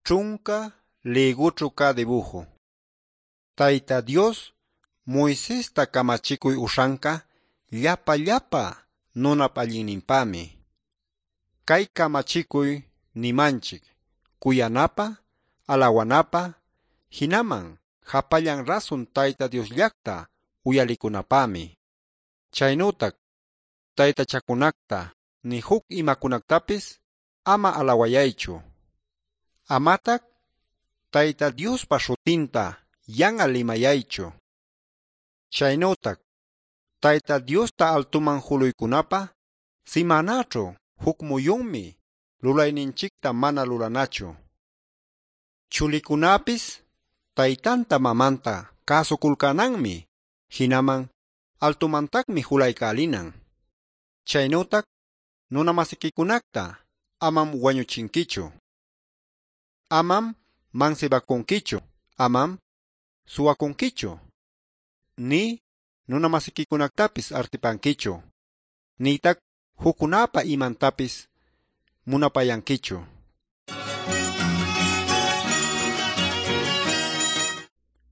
Ćhunca lïgućhu cä dibuju. Tayta Dios Moisesta kamachikuy uśhanca llapa-llapa nunap allinninpämi. Cay kamachikuy nimanchic cuyanapä, alawanapä, jinaman japallan rasun Tayta Diosllacta uyalicunapämi. Chaynütac taytachacunacta ni juc imacunactapis ama alawayaychu. Amatac Tayta Diospa śhutinta yan'al limayaychu. Chaynütac Tayta Diosta altuman juluycunapä simänaćhu juc muyunmi lulayninchicta mana lulanachu. Chulicunapis taytanta mamanta cäsuculcänanmi, jinaman altumantacmi julaycälinan. Chaynütac nuna-masiquicunacta amam wañuchinquichu. Amam mansibacunquichu, amam suwacunquichu, nï nuna-masiquicunactapis artipanquichu, nïtac juccunäpa imantapis munapayanquichu.